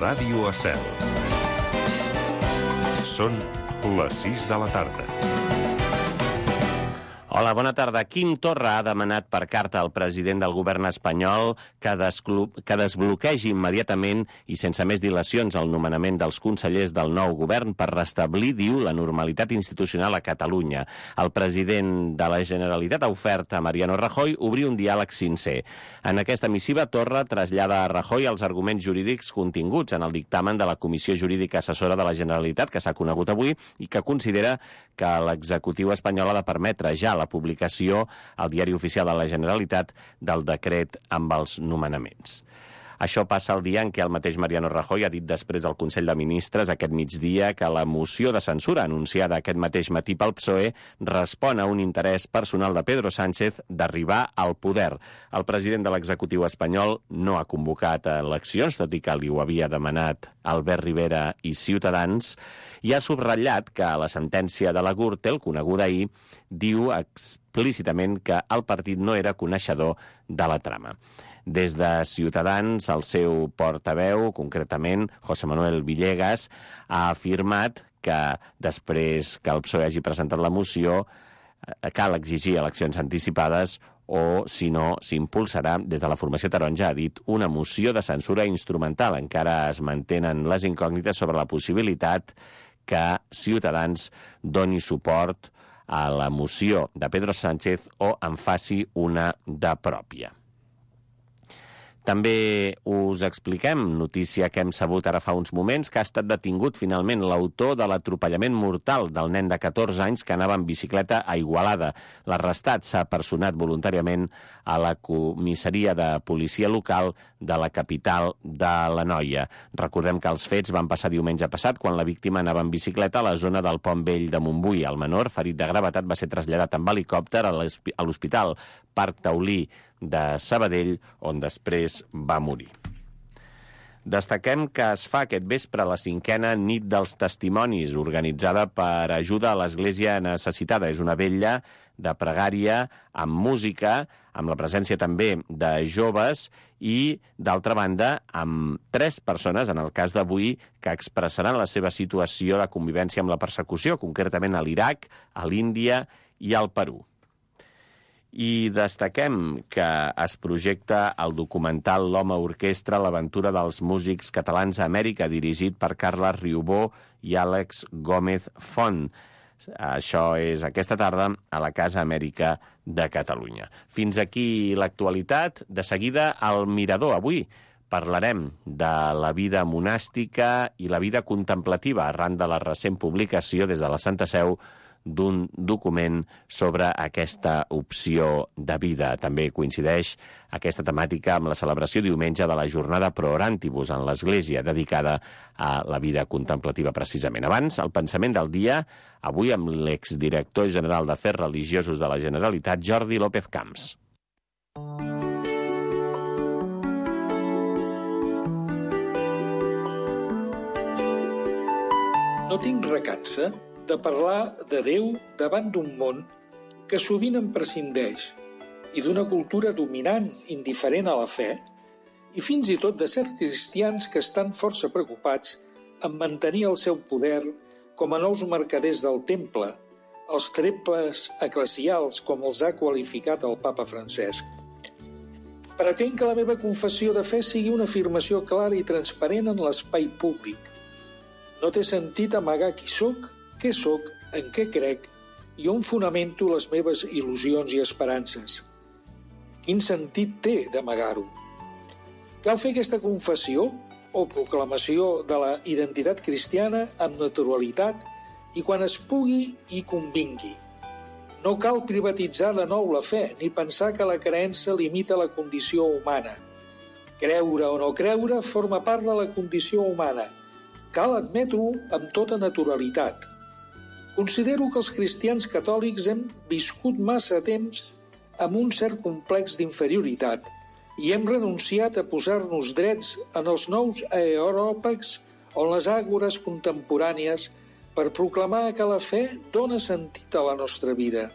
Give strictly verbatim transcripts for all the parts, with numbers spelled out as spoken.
Ràdio Estel. Són les sis de la tarda. Hola, bona tarda. Quim Torra ha demanat per carta al president del govern espanyol que, que desbloquegi immediatament i sense més dilacions el nomenament dels consellers del nou govern per restablir, diu, la normalitat institucional a Catalunya. El president de la Generalitat ha ofert a Mariano Rajoy obrir un diàleg sincer. En aquesta missiva, Torra trasllada a Rajoy els arguments jurídics continguts en el dictamen de la Comissió Jurídica Assessora de la Generalitat, que s'ha conegut avui, i que considera que l'executiu espanyol ha de permetre ja la publicació al Diari Oficial de la Generalitat del decret amb els nomenaments. Això passa el dia en què el mateix Mariano Rajoy ha dit després del Consell de Ministres aquest migdia que la moció de censura anunciada aquest mateix matí pel P S O E respon a un interès personal de Pedro Sánchez d'arribar al poder. El president de l'executiu espanyol no ha convocat eleccions, tot i que li ho havia demanat Albert Rivera i Ciutadans, i ha subratllat que la sentència de la Gürtel, coneguda ahir, diu explícitament que el partit no era coneixedor de la trama. Des de Ciutadans, el seu portaveu, concretament José Manuel Villegas, ha afirmat que després que el P S O E hagi presentat la moció cal exigir eleccions anticipades o, si no, s'impulsarà, des de la formació taronja, ha dit, una moció de censura instrumental. Encara es mantenen les incògnites sobre la possibilitat que Ciutadans doni suport a la moció de Pedro Sánchez o en faci una de pròpia. També us expliquem, notícia que hem sabut ara fa uns moments, que ha estat detingut finalment l'autor de l'atropellament mortal del nen de catorze anys que anava en bicicleta a Igualada. L'arrestat s'ha personat voluntàriament a la comissaria de policia local de la capital de l'Anoia. Recordem que els fets van passar diumenge passat quan la víctima anava en bicicleta a la zona del Pont Vell de Montbui. El menor, ferit de gravetat, va ser traslladat amb helicòpter a l'Hospital Parc Taulí de Sabadell, on després va morir. Destaquem que es fa aquest vespre la cinquena nit dels testimonis, organitzada per Ajuda a l'Església Necessitada. És una vetlla de pregària amb música, amb la presència també de joves i, d'altra banda, amb tres persones, en el cas d'avui, que expressaran la seva situació de convivència amb la persecució, concretament a l'Iraq, a l'Índia i al Perú. I destaquem que es projecta el documental L'Home Orquestra, l'aventura dels músics catalans a Amèrica, dirigit per Carles Riubó i Àlex Gómez Font. Això és aquesta tarda a la Casa Amèrica de Catalunya. Fins aquí l'actualitat. De seguida, al Mirador. Avui parlarem de la vida monàstica i la vida contemplativa arran de la recent publicació des de la Santa Seu d'un document sobre aquesta opció de vida. També coincideix aquesta temàtica amb la celebració diumenge de la jornada Pro Orantibus en l'Església, dedicada a la vida contemplativa precisament. Abans, el pensament del dia, avui amb l'exdirector general d'Afers Religiosos de la Generalitat, Jordi López Camps. No tinc recança de parlar de Déu davant d'un món que sovint en prescindeix i d'una cultura dominant indiferent a la fe i fins i tot de certs cristians que estan força preocupats en mantenir el seu poder com a nous mercaders del temple, els treples eclesials, com els ha qualificat el papa Francesc. Pretenc que la meva confessió de fe sigui una afirmació clara i transparent en l'espai públic. No té sentit amagar qui sóc, què sóc, en què crec i on fonamento les meves il·lusions i esperances. Quin sentit té d'amagar-ho? Cal fer aquesta confessió o proclamació de la identitat cristiana amb naturalitat i quan es pugui i convingui. No cal privatitzar de nou la fe ni pensar que la creença limita la condició humana. Creure o no creure forma part de la condició humana. Cal admetre-ho amb tota naturalitat. Considero que els cristians catòlics hem viscut massa temps amb un cert complex d'inferioritat i hem renunciat a posar-nos drets en els nous aeròpags o en les àgores contemporànies per proclamar que la fe dona sentit a la nostra vida.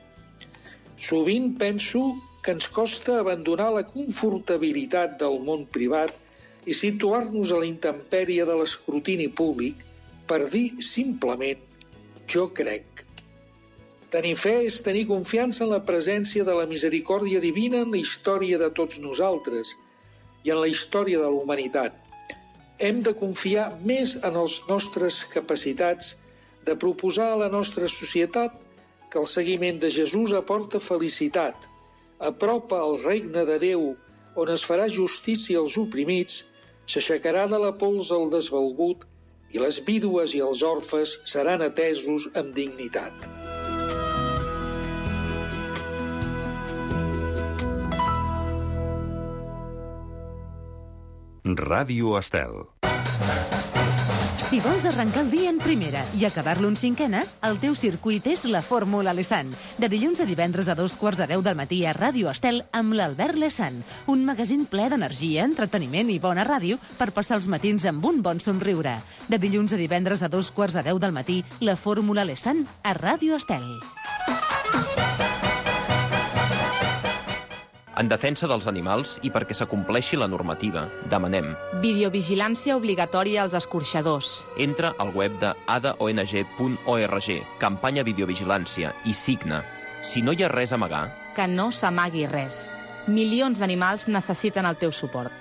Sovint penso que ens costa abandonar la confortabilitat del món privat i situar-nos a la intempèrie de l'escrutini públic per dir simplement «jo crec». Tenir fe és tenir confiança en la presència de la misericòrdia divina en la història de tots nosaltres i en la història de la humanitat. Hem de confiar més en les nostres capacitats de proposar a la nostra societat que el seguiment de Jesús aporta felicitat, apropa el regne de Déu, on es farà justícia als oprimits, s'aixecarà de la pols el desvalgut i les vídues i els orfes seran atesos amb dignitat. Ràdio Estel. Si vols arrencar el dia en primera i acabar-lo en cinquena, el teu circuit és la Fórmula Lesan. De dilluns a divendres a dos quarts de deu del matí a Ràdio Estel amb l'Albert Lesan. Un magazín ple d'energia, entreteniment i bona ràdio per passar els matins amb un bon somriure. De dilluns a divendres a dos quarts de deu del matí, la Fórmula Lesan a Ràdio Estel. En defensa dels animals i perquè s'acompleixi la normativa, demanem videovigilància obligatòria als escorxadors. Entra al web de a d o n g punt org, campanya videovigilància, i signa. Si no hi ha res a amagar... Que no s'amagui res. Milions d'animals necessiten el teu suport.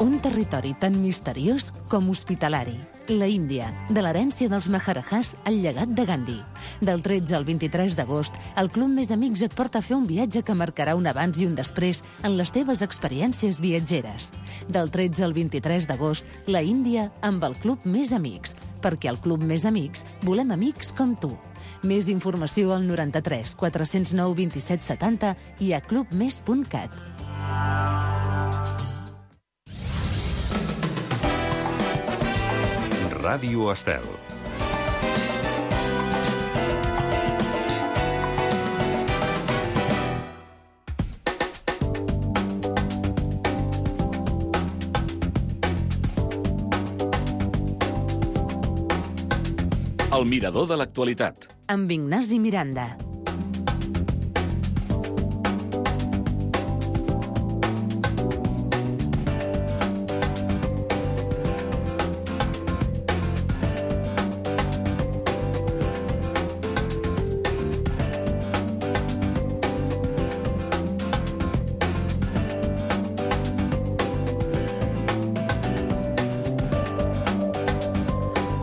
Un territori tan misteriós com hospitalari. La Índia, de l'herència dels Maharajahs al llegat de Gandhi. Del tretze al vint-i-tres d'agost, el Club Més Amics et porta a fer un viatge que marcarà un abans i un després en les teves experiències viatgeres. Del tretze al vint-i-tres d'agost, la Índia amb el Club Més Amics, perquè al Club Més Amics volem amics com tu. Més informació al noranta-tres quatre-cents nou vint-i-set setanta i a club més punt cat. Ràdio Estel. El mirador de l'actualitat. Amb Ignasi Miranda.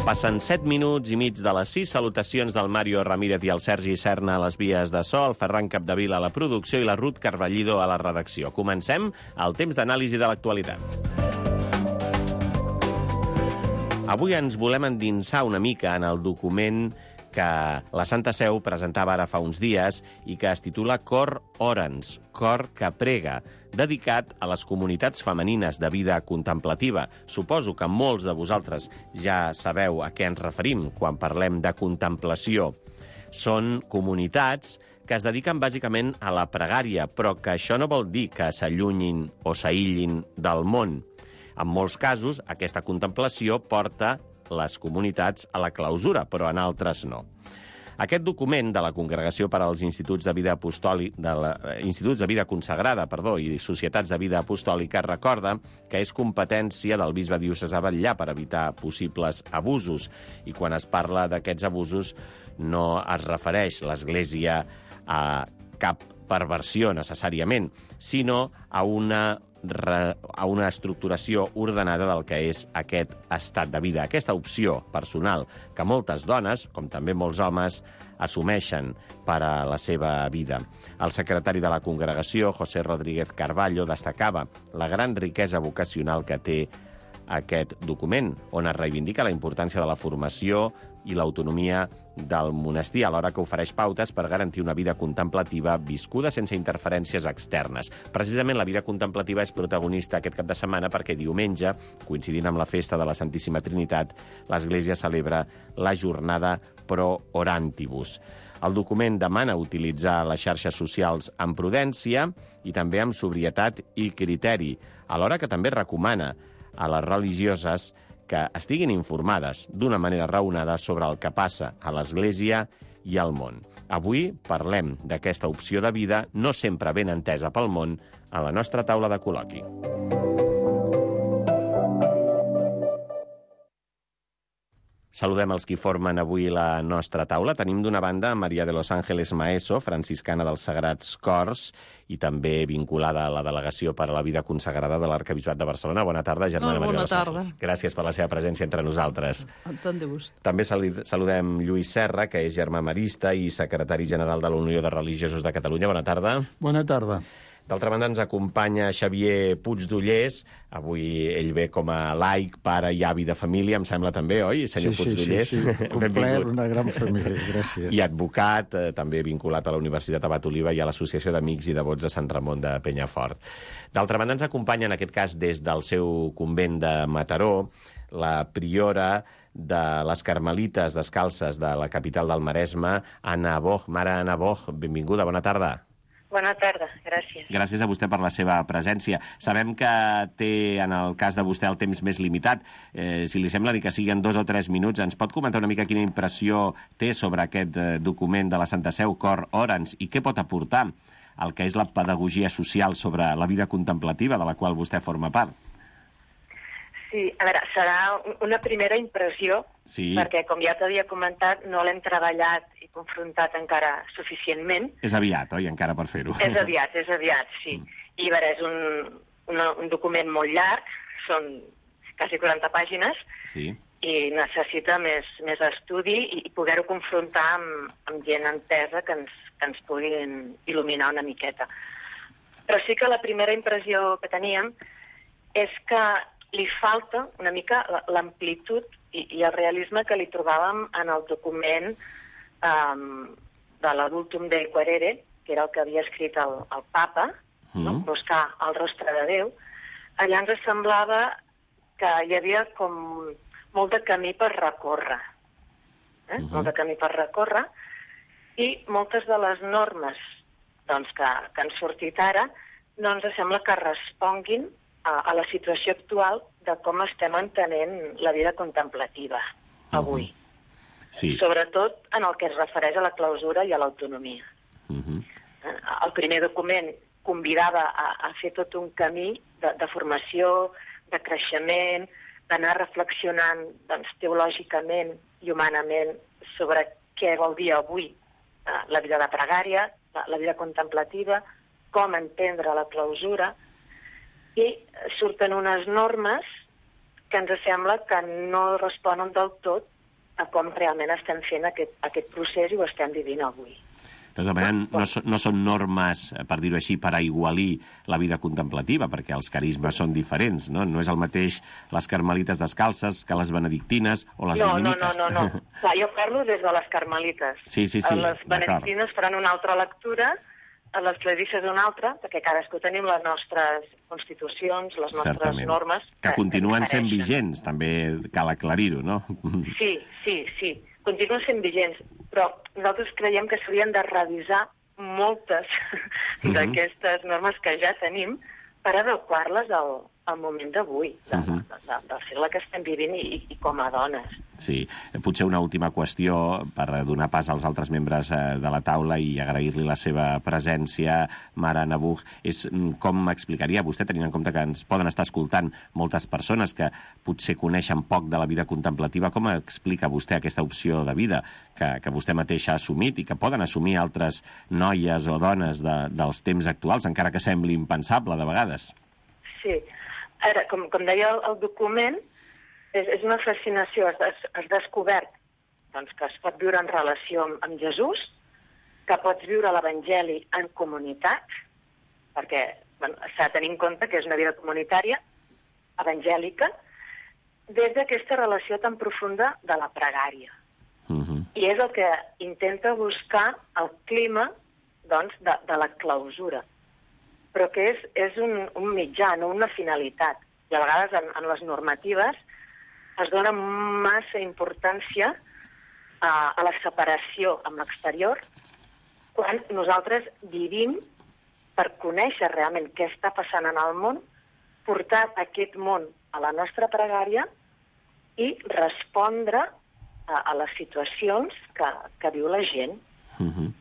Passen set minuts i mig de les sis. Salutacions del Mario Ramírez i el Sergi Serna a les vies de so, el Ferran Capdevila a la producció i la Ruth Carballido a la redacció. Comencem el temps d'anàlisi de l'actualitat. Avui ens volem endinsar una mica en el document que la Santa Seu presentava ara fa uns dies i que es titula Cor Orans, Cor que prega, dedicat a les comunitats femenines de vida contemplativa. Suposo que molts de vosaltres ja sabeu a què ens referim quan parlem de contemplació. Són comunitats que es dediquen bàsicament a la pregària, però que això no vol dir que s'allunyin o s'aïllin del món. En molts casos, aquesta contemplació porta les comunitats a la clausura, però en altres no. Aquest document de la Congregació per als Instituts de Vida Apostòlica, de la, Instituts de Vida Consagrada, perdó, i Societats de Vida Apostòlica recorda que és competència del bisbe diocesà Batllà per evitar possibles abusos. I quan es parla d'aquests abusos no es refereix l'Església a cap perversió necessàriament, sinó a una a una estructuració ordenada del que és aquest estat de vida, aquesta opció personal que moltes dones, com també molts homes, assumeixen per a la seva vida. El secretari de la congregació, José Rodríguez Carballo, destacava la gran riquesa vocacional que té aquest document, on es reivindica la importància de la formació i l'autonomia del monestir, alhora que ofereix pautes per garantir una vida contemplativa viscuda sense interferències externes. Precisament la vida contemplativa és protagonista aquest cap de setmana perquè diumenge, coincidint amb la festa de la Santíssima Trinitat, l'Església celebra la jornada Pro Orantibus. El document demana utilitzar les xarxes socials amb prudència i també amb sobrietat i criteri, alhora que també recomana a les religioses que estiguin informades d'una manera raonada sobre el que passa a l'Església i al món. Avui parlem d'aquesta opció de vida no sempre ben entesa pel món a la nostra taula de col·loqui. Saludem els qui formen avui la nostra taula. Tenim d'una banda Maria de los Ángeles Maeso, franciscana dels Sagrats Cors, i també vinculada a la Delegació per a la Vida Consagrada de l'Arquebisbat de Barcelona. Bona tarda, germana Maria de los Ángeles. Gràcies per la seva presència entre nosaltres. Tant de gust. També saludem Lluís Serra, que és germà marista i secretari general de la Unió de Religiosos de Catalunya. Bona tarda. Bona tarda. D'altra banda, ens acompanya Xavier Puigdollers. Avui ell ve com a laic, pare i avi de família, em sembla també, oi, senyor sí, Puigdollers? Sí, sí, sí. Complet, una gran família, gràcies. I advocat, eh, també vinculat a la Universitat Abat Oliva i a l'Associació d'Amics i Devots de Sant Ramon de Penyafort. D'altra banda, ens acompanya, en aquest cas, des del seu convent de Mataró, la priora de les Carmelites Descalces de la capital del Maresme, Anna Boch. Mare Anna Boch, benvinguda, bona tarda. Bona tarda, gràcies. Gràcies a vostè per la seva presència. Sabem que té, en el cas de vostè, el temps més limitat. Eh, si li sembla ni que siguin dos o tres minuts, ens pot comentar una mica quina impressió té sobre aquest eh, document de la Santa Seu, Cor Orans, i què pot aportar al que és la pedagogia social sobre la vida contemplativa de la qual vostè forma part? Sí, a veure, serà una primera impressió, sí. Perquè, com ja t'havia comentat, no l'hem treballat i confrontat encara suficientment. És aviat, oi, encara per fer-ho? És aviat, és aviat, sí. Mm. I, a veure, és un, un, un document molt llarg, són quasi quaranta pàgines, sí. I necessita més, més estudi i, i poder-ho confrontar amb, amb gent entesa que ens, que ens puguin il·luminar una miqueta. Però sí que la primera impressió que teníem és que li falta una mica l'amplitud i, i el realisme que li trobàvem en el document um, de l'Adultum Dei Quaerere, que era el que havia escrit el, el papa, mm. no? Buscar el rostre de Déu. Allà ens semblava que hi havia com molt de camí per recórrer. Eh? Mm-hmm. Molt de camí per recórrer. I moltes de les normes doncs, que, que han sortit ara no ens sembla que responguin a la situació actual de com estem entenent la vida contemplativa avui. Uh-huh. Sí. Sobretot en el que es refereix a la clausura i a l'autonomia. Uh-huh. El primer document convidava a, a fer tot un camí de, de formació, de creixement, d'anar reflexionant doncs, teològicament i humanament sobre què vol dir avui eh, la vida de pregària, la, la vida contemplativa, com entendre la clausura, i surten unes normes que ens sembla que no responen del tot a com realment estem fent aquest, aquest procés i ho estem vivint avui. Doncs, de manera, no, no són normes, per dir-ho així, per aigualir la vida contemplativa, perquè els carismes són diferents, no? No és el mateix les Carmelites Descalces que les benedictines o les no, dominiques. No, no, no, no. Clar, jo parlo des de les Carmelites. Sí, sí, sí, les benedictines faran una altra lectura, les clarisses una altra, perquè cadascú tenim les nostres constitucions, les nostres Certament. normes... Que, que continuen que sent vigents, també cal aclarir-ho, no? Sí, sí, sí, continuen sent vigents, però nosaltres creiem que s'haurien de revisar moltes uh-huh. d'aquestes normes que ja tenim per adequar-les al, al moment d'avui, de, uh-huh. de, de, del segle que estem vivint i, i com a dones. Sí, potser una última qüestió per donar pas als altres membres de la taula i agrair-li la seva presència, Mare Anna Boch, és com explicaria vostè, tenint en compte que ens poden estar escoltant moltes persones que potser coneixen poc de la vida contemplativa, com explica vostè aquesta opció de vida que, que vostè mateix ha assumit i que poden assumir altres noies o dones de, dels temps actuals, encara que sembli impensable de vegades? Sí, ara, com, com deia el, el document, És, és una fascinació, has, des, has descobert doncs, que es pot viure en relació amb, amb Jesús, que pots viure l'Evangeli en comunitat, perquè bueno, s'ha de tenir en compte que és una vida comunitària, evangèlica, des d'aquesta relació tan profunda de la pregària. Uh-huh. I és el que intenta buscar el clima doncs, de, de la clausura, però que és, és un, un mitjà, no una finalitat. I a vegades en, en les normatives es dona massa importància a, a la separació amb l'exterior, quan nosaltres vivim per conèixer realment què està passant en el món, portar aquest món a la nostra pregària i respondre a, a les situacions que, que viu la gent. Uh-huh.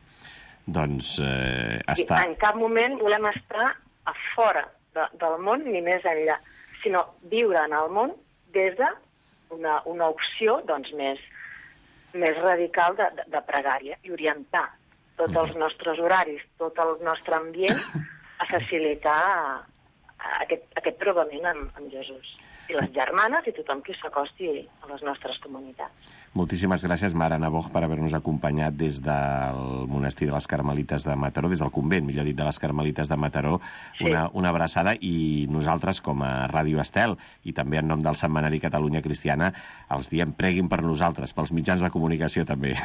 Doncs eh, està... I en cap moment volem estar a fora de, del món ni més enllà, sinó viure en el món des de una, una opció doncs, més, més radical de, de, de pregària i orientar tots els nostres horaris, tot el nostre ambient a facilitar aquest, aquest trobament amb, amb Jesús. I les germanes i tothom qui s'acosti a les nostres comunitats. Moltíssimes gràcies, Mare Naboj, per haver-nos acompanyat des del monestir de les Carmelites de Mataró, des del convent, millor dit, de les Carmelites de Mataró. Sí. Una, una abraçada, i nosaltres, com a Ràdio Estel, i també en nom del Setmanari Catalunya Cristiana, els diem preguin per nosaltres, pels mitjans de comunicació també.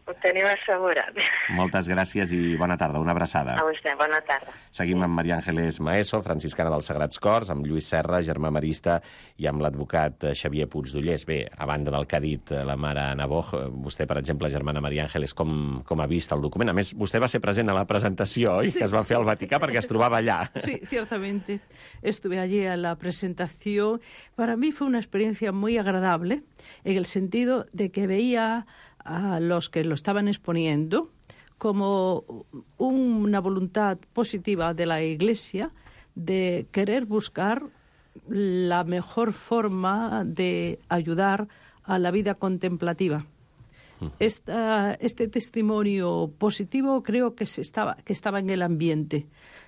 Ho teniu assegurat. Moltes gràcies i bona tarda, una abraçada. A vostè, bona tarda. Seguim amb Maria Ángeles Maeso, franciscana dels Sagrats Cors, amb Lluís Serra, germà marista, i amb l'advocat Xavier Puigdollers. Bé, a banda del que ha dit la Mare Naboj, vostè, per exemple, germana Maria Ángeles, com, com ha vist el document? A més, vostè va ser present a la presentació, oi? Sí, que es va fer al Vaticà perquè es trobava allà. Sí, ciertamente. Estuve allí a la presentación. Para mí fue una experiencia muy agradable, en el sentido de que veía a los que lo estaban exponiendo como una voluntad positiva de la Iglesia de querer buscar la mejor forma de ayudar a la vida contemplativa. Esta, este testimonio positivo creo que, se estaba, que estaba en el ambiente,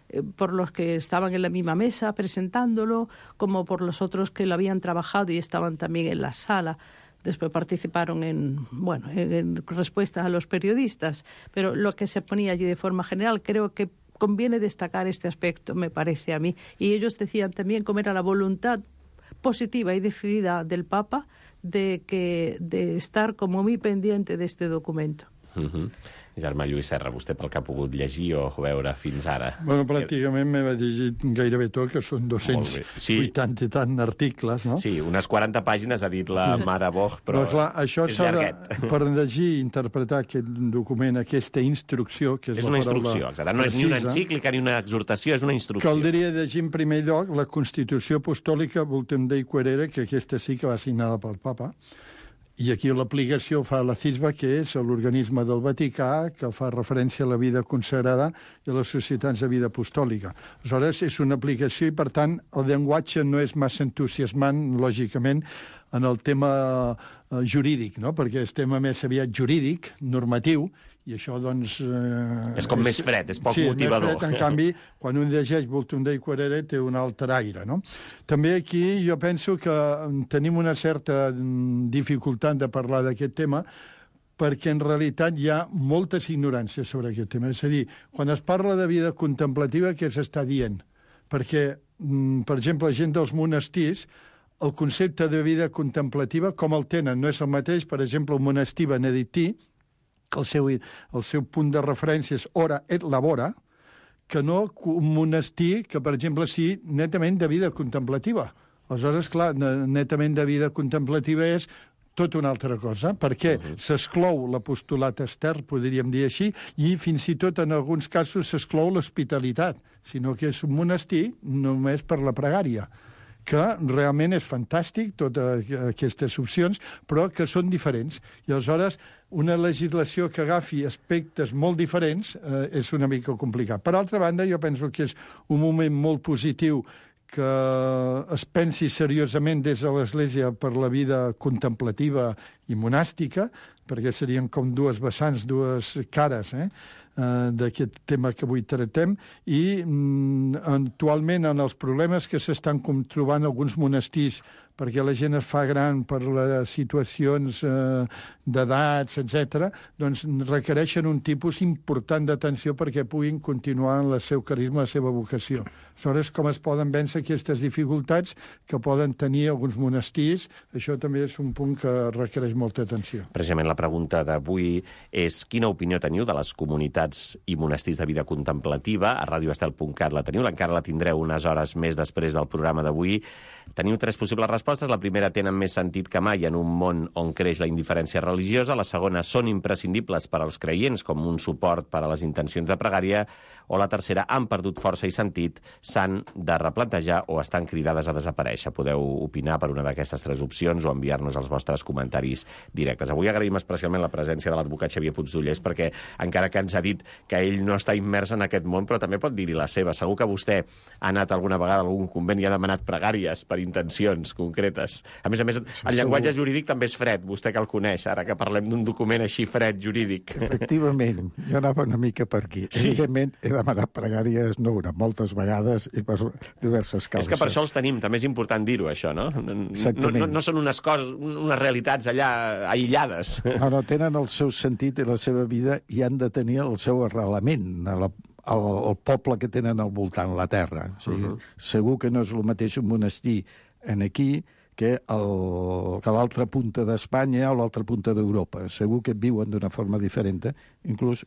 eh, por los que estaban en la misma mesa presentándolo, como por los otros que lo habían trabajado y estaban también en la sala. Después participaron en, bueno, en, en respuesta a los periodistas, pero lo que se ponía allí de forma general, creo que conviene destacar este aspecto, me parece a mí. Y ellos decían también cómo era la voluntad positiva y decidida del Papa de, que, de estar como muy pendiente de este documento. Uh-huh. Germà Lluís Serra, vostè pel que ha pogut llegir o veure fins ara? Bueno, pràcticament m'he llegit gairebé tot, que són dos-cents vuitanta sí. i tant articles, no? Sí, unes quaranta pàgines ha dit la sí. Mare Boch, però, però clar, això és llarguet. De, per llegir i interpretar aquest document, aquesta instrucció, que és, és la una instrucció, exacte. No precisa, és ni una encíclica ni una exhortació, és una instrucció. Caldria llegir en primer lloc la Constitució Apostòlica Vultum Dei Querere, que aquesta sí que va signada pel Papa. I aquí l'aplicació fa la C I S B A, que és l'organisme del Vaticà, que fa referència a la vida consagrada i a les societats de vida apostòlica. Aleshores, és una aplicació i, per tant, el llenguatge no és massa entusiasmant, lògicament, en el tema eh, jurídic, no? Perquè és tema més aviat jurídic, normatiu, i això, doncs... Eh, és com és, més fred, és poc sí, motivador. Sí, més fred. En canvi, quan un llegeix Vultum Dei Querere té un altre aire, no? També aquí jo penso que tenim una certa dificultat de parlar d'aquest tema perquè en realitat hi ha moltes ignoràncies sobre aquest tema. És a dir, quan es parla de vida contemplativa, què s'està dient? Perquè, per exemple, la gent dels monestirs, el concepte de vida contemplativa, com el tenen, no és el mateix, per exemple, el monestir benedictí, que el seu, el seu punt de referència és ora et labora, que no un monestir que, per exemple, sigui netament de vida contemplativa. Aleshores, clar, netament de vida contemplativa és tot una altra cosa, perquè uh-huh. s'exclou l'apostolat extern, podríem dir així, i fins i tot en alguns casos s'exclou l'hospitalitat, sinó que és un monestir només per la pregària, que realment és fantàstic, totes aquestes opcions, però que són diferents. I aleshores, una legislació que agafi aspectes molt diferents eh, és una mica complicat. Per altra banda, jo penso que és un moment molt positiu que es pensi seriosament des de l'Església per la vida contemplativa i monàstica, perquè serien com dues vessants, dues cares, eh? d'aquest tema que avui tractem, i mm, actualment en els problemes que s'estan trobant alguns monestirs perquè la gent es fa gran per les situacions eh, d'edats, etcètera, doncs requereixen un tipus important d'atenció perquè puguin continuar en el seu carisma, la seva vocació. Aleshores, com es poden vèncer aquestes dificultats que poden tenir alguns monestirs, això també és un punt que requereix molta atenció. Precisament la pregunta d'avui és quina opinió teniu de les comunitats i monestirs de vida contemplativa? A radioestel punt cat la teniu, encara la tindreu unes hores més després del programa d'avui. Teniu tres possibles respostes. La primera, tenen més sentit que mai en un món on creix la indiferència religiosa. La segona, són imprescindibles per als creients com un suport per a les intencions de pregària. o la tercera han perdut força i sentit, s'han de replantejar o estan cridades a desaparèixer. Podeu opinar per una d'aquestes tres opcions o enviar-nos els vostres comentaris directes. Avui agraïm especialment la presència de l'advocat Xavier Puigdollers, perquè encara que ens ha dit que ell no està immers en aquest món, però també pot dir-hi la seva. Segur que vostè ha anat alguna vegada a algun convent i ha demanat pregàries per intencions concretes. A més a més, el llenguatge jurídic també és fred, vostè que el coneix, ara que parlem d'un document així fred jurídic. Efectivament, jo anava una mica per aquí. Sí. Evidentment, he demanat pregàries no una, moltes vegades i per diverses causes. És que per això els tenim, també és important dir-ho, això, no? No, no, no són unes coses, unes realitats allà aïllades. No, no, tenen el seu sentit i la seva vida i han de tenir el seu arrelament a la El, el poble que tenen al voltant, la terra. O sigui, uh -huh. Segur que no és el mateix un monestir en aquí que, el, que l'altra punta d'Espanya o l'altra punta d'Europa. Segur que viuen d'una forma diferent, inclús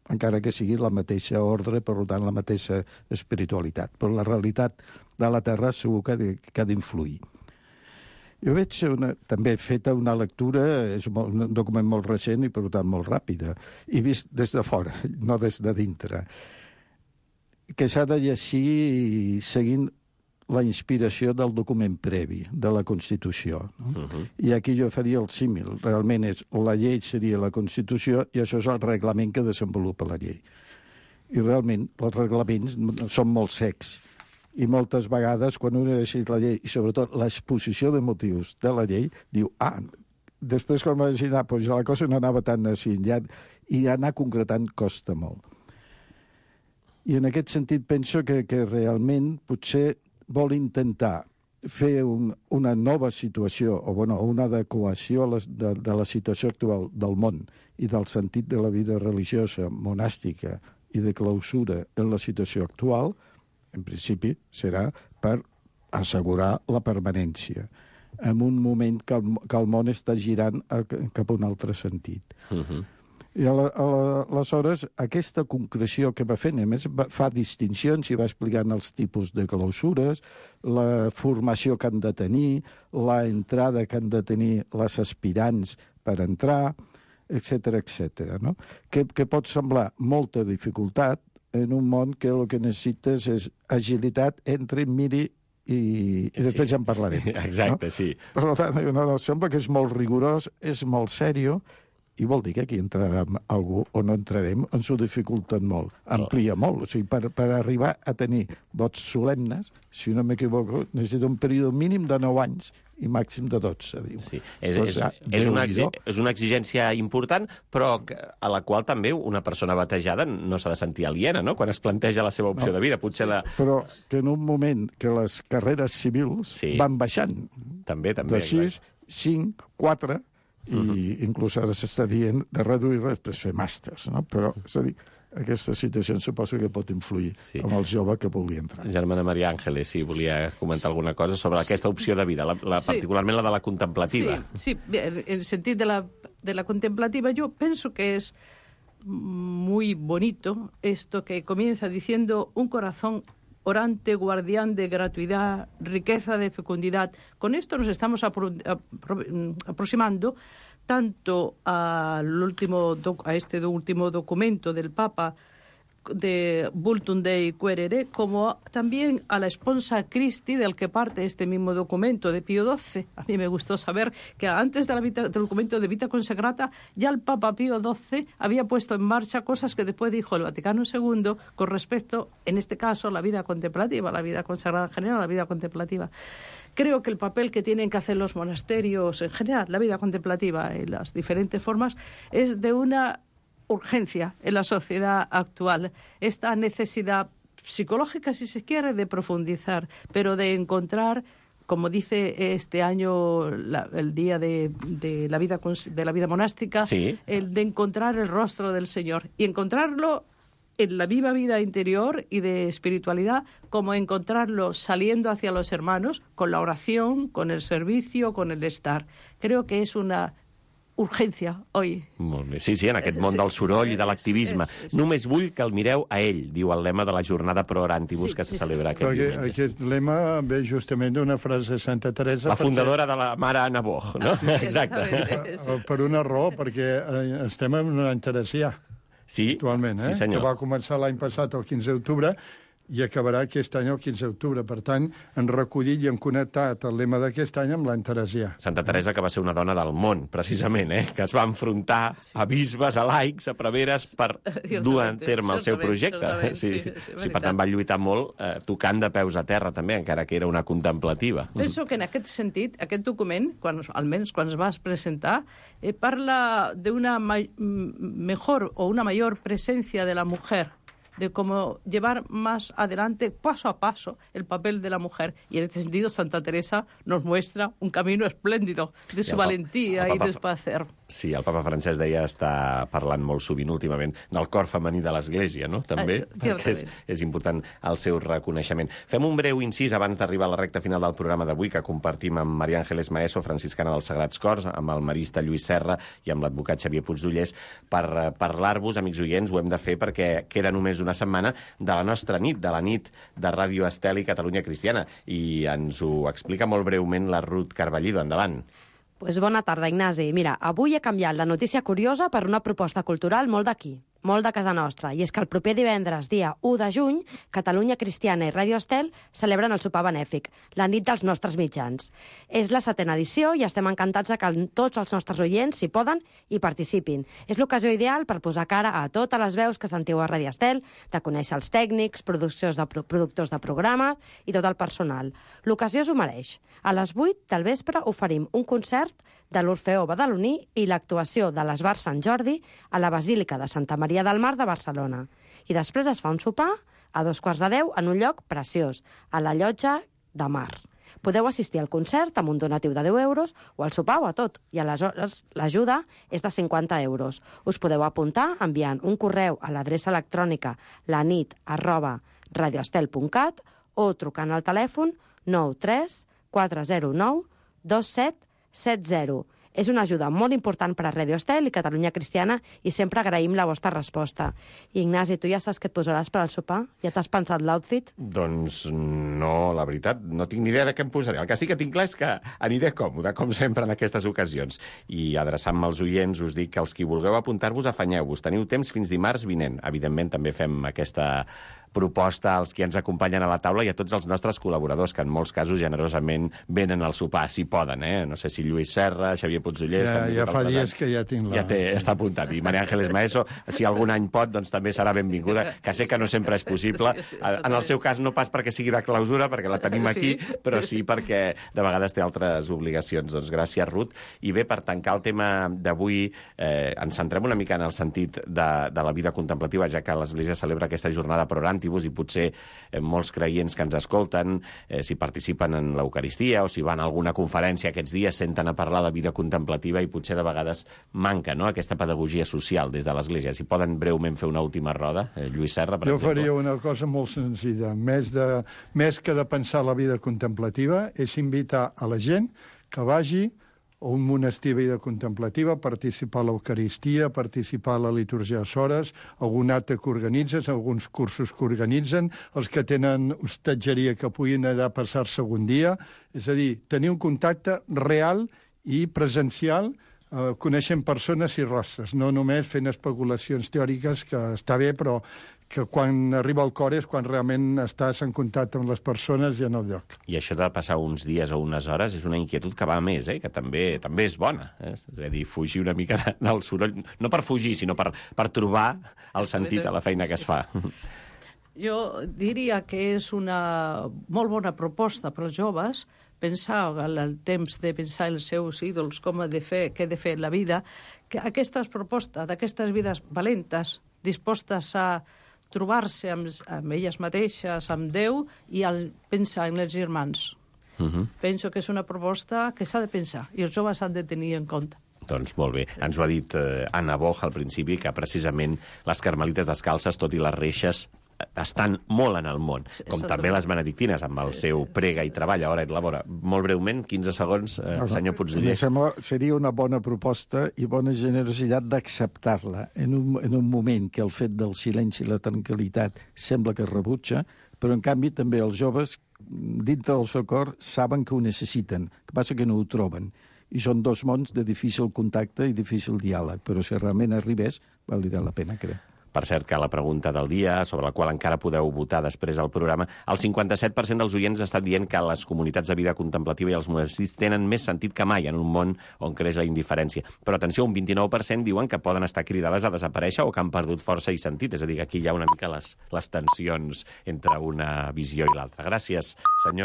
encara que sigui la mateixa ordre, per tant, la mateixa espiritualitat. Però la realitat de la terra segur que, que ha d'influir. Jo veig una, també feta una lectura, és un document molt recent i, per tant, molt ràpida, i vist des de fora, no des de dintre, que s'ha de llegir seguint la inspiració del document previ, de la Constitució. No? Uh-huh. I aquí jo faria el símil. Realment és, la llei seria la Constitució i això és el reglament que desenvolupa la llei. I realment els reglaments són molt secs. I moltes vegades, quan un llegeix la llei, i sobretot l'exposició de motius de la llei, diu, ah, després quan va llegir, ah, doncs la cosa no anava tan així, ja, i anar concretant costa molt. I en aquest sentit penso que, que realment potser vol intentar fer un, una nova situació, o bueno, una adequació a les, de, de la situació actual del món i del sentit de la vida religiosa, monàstica i de clausura en la situació actual, en principi serà per assegurar la permanència en un moment que el, que el món està girant a, cap a un altre sentit. Uh-huh. I aleshores aquesta concreció que va fent, a més fa distincions i va explicant els tipus de clausures, la formació que han de tenir, la entrada que han de tenir les aspirants per entrar, etcètera, etcètera, no? Que, que pot semblar molta dificultat en un món que el que necessites és agilitat entre miri i, i després sí. Ja en parlarem. Exacte, no? Sí. Per tant, no, no, sembla que és molt rigorós, és molt sèrio, i vol dir que aquí entrarem algú o no entrarem, ens ho dificulten molt, amplia molt. O sigui, per, per arribar a tenir vots solemnes, si no m'equivoco, necessita un període mínim de nou anys i màxim de dotze, diu. Sí, és, és, és, una, és una exigència important, però a la qual també una persona batejada no s'ha de sentir aliena, no?, quan es planteja la seva opció no, de vida. Potser la... Però que en un moment que les carreres civils sí. van baixant també, també, de sis, cinc, quatre... i uh-huh. inclús ara s'està dient de reduir després fer màsters, no? Però, és a dir, aquesta situació suposo que pot influir sí. amb el jove que vulgui entrar. Germana Maria Àngeles, si volia comentar sí. alguna cosa sobre sí. aquesta opció de vida, la, la, sí. particularment la de la contemplativa. Sí, sí. En el sentit de la, de la contemplativa, yo penso que es muy bonito esto que comienza diciendo un corazón orante, guardián de gratuidad, riqueza de fecundidad. Con esto nos estamos apro apro aproximando tanto al último a este último documento del Papa de Vultum Dei Quaerere, como también a la Sponsa Christi, del que parte este mismo documento de Pío doce. A mí me gustó saber que antes de la vita, del documento de Vita Consacrata, ya el Papa Pío doce había puesto en marcha cosas que después dijo el Vaticano segundo con respecto, en este caso, a la vida contemplativa, la vida consagrada en general, la vida contemplativa. Creo que el papel que tienen que hacer los monasterios en general, la vida contemplativa en las diferentes formas, es de una urgencia en la sociedad actual, esta necesidad psicológica, si se quiere, de profundizar, pero de encontrar, como dice este año la, el día de, de, la vida, de la vida monástica, sí. el de encontrar el rostro del Señor y encontrarlo en la viva vida interior y de espiritualidad, como encontrarlo saliendo hacia los hermanos, con la oración, con el servicio, con el estar. Creo que es una urgència, oi? Molt bé. Sí, sí, en aquest món del soroll i de l'activisme. Només vull que el mireu a ell, diu el lema de la jornada Pro Orantibus sí, que se celebra aquest Perquè diumenge. Aquest lema ve justament d'una frase de Santa Teresa. La fundadora perquè... de la mare Anna Boch, no? Exacte. Per una raó, perquè estem en un any teresià. Sí, actualment, eh? sí senyor. Que va començar l'any passat, el quinze d'octubre, i acabarà aquest any el quinze d'octubre. Per tant, han recollit i han connectat el lema d'aquest any amb l'any teresià. Santa Teresa, que va ser una dona del món, precisament, eh? Que es va enfrontar a bisbes, a laics, a preveres, per dur a terme el seu projecte. Sí, sí, sí, sí, per tant, va lluitar molt, eh, tocant de peus a terra, també, encara que era una contemplativa. Penso que en aquest sentit, aquest document, quan, almenys quan es va presentar, eh, parla d'una ma mejor o una mayor presencia de la mujer, de cómo llevar más adelante, paso a paso, el papel de la mujer. Y en este sentido, Santa Teresa nos muestra un camino espléndido de su valentía i de su hacer. Sí, el papa Francesc deia està parlant molt sovint últimament del cor femení de l'Església, no? També, ah, perquè és, és important el seu reconeixement. Fem un breu incís abans d'arribar a la recta final del programa d'avui, que compartim amb Maria Ángeles Maeso, franciscana dels Sagrats Cors, amb el marista Lluís Serra i amb l'advocat Xavier Puigdollers, per uh, parlar-vos, amics oients, ho hem de fer perquè queda només una setmana de la nostra nit, de la nit de Ràdio Estel i Catalunya Cristiana. I ens ho explica molt breument la Ruth Carballido. Endavant. Pues bona tarda, Ignasi. Mira, avui he canviat la notícia curiosa per una proposta cultural molt d'aquí, molt de casa nostra, i és que el proper divendres, dia u de juny, Catalunya Cristiana i Ràdio Estel celebren el sopar benèfic, la nit dels nostres mitjans. És la setena edició i estem encantats que tots els nostres oients s'hi poden i participin. És l'ocasió ideal per posar cara a totes les veus que sentiu a Ràdio Estel, de conèixer els tècnics, productors de, pro productors de programes i tot el personal. L'ocasió s'ho mereix. A les vuit del vespre oferim un concert de l'Orfeó Badaloní i l'actuació de l'Esbar Sant Jordi a la Basílica de Santa Maria del Mar de Barcelona. I després es fa un sopar a dos quarts de deu en un lloc preciós, a la Llotja de Mar. Podeu assistir al concert amb un donatiu de deu euros o al sopar o a tot, i aleshores l'ajuda és de cinquanta euros. Us podeu apuntar enviant un correu a l'adreça electrònica lanit arroba radioestel punt cat o trucant al telèfon nou tres quatre zero nou dos set set zero. És una ajuda molt important per a Ràdio Estel i Catalunya Cristiana i sempre agraïm la vostra resposta. Ignasi, tu ja saps què et posaràs per al sopar? Ja t'has pensat l'outfit? Doncs no, la veritat, no tinc ni idea de què em posaré. El que sí que tinc clar és que aniré còmode, com sempre, en aquestes ocasions. I adreçant-me als oients us dic que els qui vulgueu apuntar-vos, afanyeu-vos. Teniu temps fins dimarts vinent. Evidentment, també fem aquesta proposta als qui ens acompanyen a la taula i a tots els nostres col·laboradors, que en molts casos generosament venen al sopar, si poden, eh? No sé si Lluís Serra, Xavier Puigdollers... Ja, ja fa dies que ja tinc la... Ja té, està apuntat. I Maria Ángeles Maeso, si algun any pot, doncs també serà benvinguda, que sé que no sempre és possible. En el seu cas no pas perquè sigui de clausura, perquè la tenim aquí, però sí perquè de vegades té altres obligacions. Doncs gràcies, Ruth. I bé, per tancar el tema d'avui, eh, ens centrem una mica en el sentit de, de la vida contemplativa, ja que l'Església celebra aquesta jornada pro orantibus i potser eh, molts creients que ens escolten, eh, si participen en l'Eucaristia o si van a alguna conferència aquests dies, senten a parlar de vida contemplativa i potser de vegades manca, no?, aquesta pedagogia social des de l'Església. Si poden breument fer una última roda, eh, Lluís Serra, per jo exemple. faria una cosa molt senzilla. Més, de, més que de pensar la vida contemplativa, és invitar a la gent que vagi a un monestir de vida contemplativa, participar a l'Eucaristia, participar a la litúrgia de Sores, algun acte que organitzen, alguns cursos que organitzen, els que tenen hostatgeria que puguin anar a passar-se un dia. És a dir, tenir un contacte real i presencial, eh, coneixent persones i rostres, no només fent especulacions teòriques, que està bé, però que quan arriba al cor és quan realment estàs en contacte amb les persones i en el lloc. I això de passar uns dies o unes hores és una inquietud que va a més, eh? Que també també és bona. Eh? És a dir, fugir una mica del soroll, no per fugir, sinó per, per trobar el sentit a la feina que es fa. Jo diria que és una molt bona proposta per als joves pensar el temps de pensar els seus ídols, com ha de fer, què ha de fer la vida, que aquestes propostes d'aquestes vides valentes, dispostes a trobar-se amb, amb elles mateixes, amb Déu, i al pensar en els germans. Uh -huh. Penso que és una proposta que s'ha de pensar i els joves han de tenir en compte. Doncs molt bé. Ens ho ha dit eh, Anna Boch al principi, que precisament les carmelites descalces, tot i les reixes, estan molt en el món, com també les benedictines, amb el seu prega i treball a hora i labora. Molt breument, quinze segons, eh, el senyor Puigdollers. Sembla, seria una bona proposta i bona generositat d'acceptar-la en, un, en un moment que el fet del silenci i la tranquil·litat sembla que es rebutja, però en canvi també els joves, dintre del seu cor, saben que ho necessiten, el que passa que no ho troben. I són dos mons de difícil contacte i difícil diàleg, però si realment arribés, valdria la pena, crec. Per cert, que la pregunta del dia, sobre la qual encara podeu votar després del programa, el cinquanta-set per cent dels oients ha estat dient que les comunitats de vida contemplativa i els monestirs tenen més sentit que mai en un món on creix la indiferència. Però atenció, un vint-i-nou per cent diuen que poden estar cridades a desaparèixer o que han perdut força i sentit. És a dir, que aquí hi ha una mica les, les tensions entre una visió i l'altra. Gràcies, senyor.